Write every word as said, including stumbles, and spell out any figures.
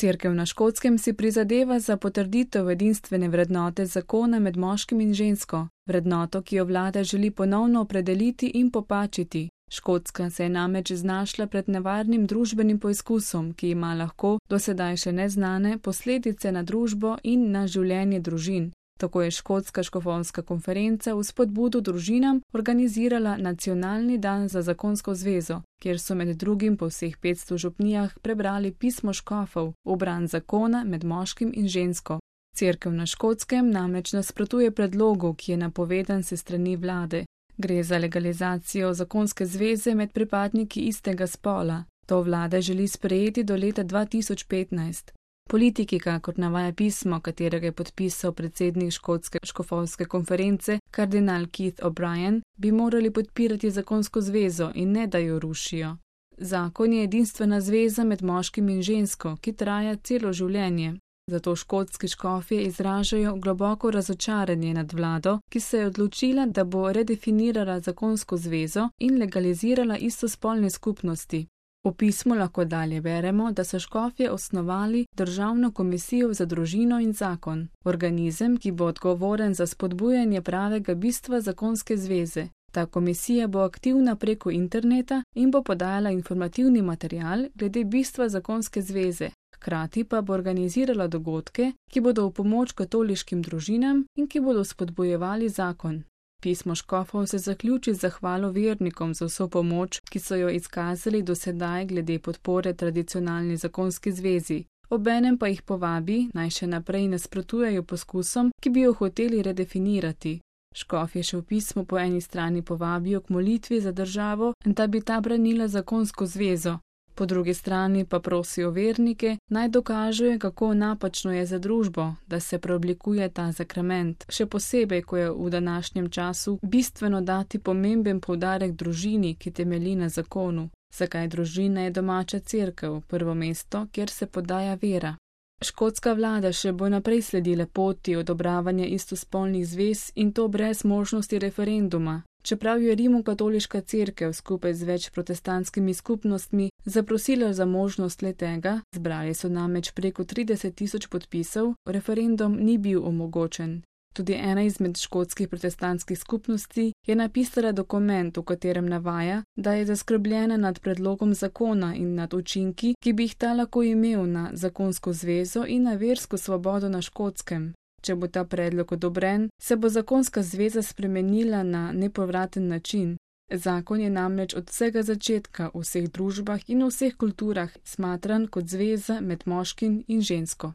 Cerkev na Škotskem si prizadeva za potrditev edinstvene vrednote zakona med moškim in žensko, vrednoto, ki jo vlada želi ponovno opredeliti in popačiti. Škotska se je namreč znašla pred nevarnim družbenim poizkusom, ki ima lahko, do sedaj še neznane, posledice na družbo in na življenje družin. Tako je Škotska škofovska konferenca v spodbudo družinam organizirala Nacionalni dan za zakonsko zvezo, kjer so med drugim po vseh petsto župnijah prebrali pismo škofov v bran zakona med moškim in žensko. Cerkev na Škotskem namreč nasprotuje predlogu, ki je napovedan se strani vlade. Gre za legalizacijo zakonske zveze med pripadniki istega spola. To vlada želi sprejeti do leta dva tisoč petnajst. Politiki, kakor navaja pismo, katerega je podpisal predsednik Škotske škofovske konference, kardinal Keith O'Brien, bi morali podpirati zakonsko zvezo in ne da jo rušijo. Zakon je edinstvena zveza med moškim in žensko, ki traja celo življenje. Zato škotski škofje izražajo globoko razočaranje nad vlado, ki se je odločila, da bo redefinirala zakonsko zvezo in legalizirala istospolne skupnosti. V pismu lahko dalje beremo, da so škofje osnovali Državno komisijo za družino in zakon, organizem, ki bo odgovoren za spodbujanje pravega bistva zakonske zveze. Ta komisija bo aktivna preko interneta in bo podajala informativni material glede bistva zakonske zveze. Hkrati pa bo organizirala dogodke, ki bodo v pomoč katoliškim družinam in ki bodo spodbujevali zakon. Pismo škofov se zaključi z zahvalo vernikom za vso pomoč, ki so jo izkazali do sedaj glede podpore tradicionalni zakonski zvezi. Obenem pa jih povabi, naj še naprej nasprotujejo poskusom, ki bi jo hoteli redefinirati. Škofje še v pismu po eni strani povabijo k molitvi za državo, da bi ta branila zakonsko zvezo. Po drugi strani pa prosijo vernike, naj dokažejo, kako napačno je za družbo, da se preoblikuje ta sakrament, še posebej, ko je v današnjem času bistveno dati pomemben poudarek družini, ki temelji na zakonu. Zakaj družina je domača cerkev, prvo mesto, kjer se podaja vera. Škotska vlada še bo naprej sledila poti odobravanja istospolnih zvez in to brez možnosti referenduma. Čeprav je Rimokatoliška cerkev skupaj z več protestantskimi skupnostmi zaprosila za možnost le-tega, zbrali so namreč preko trideset tisoč podpisov, referendum ni bil omogočen. Tudi ena izmed škotskih protestantskih skupnosti je napisala dokument, v katerem navaja, da je zaskrbljena nad predlogom zakona in nad učinki, ki bi jih ta lahko imel na zakonsko zvezo in na versko svobodo na Škotskem. Če bo ta predlog odobren, se bo zakonska zveza spremenila na nepovraten način. Zakon je namreč od vsega začetka v vseh družbah in v vseh kulturah smatran kot zveza med moškim in žensko.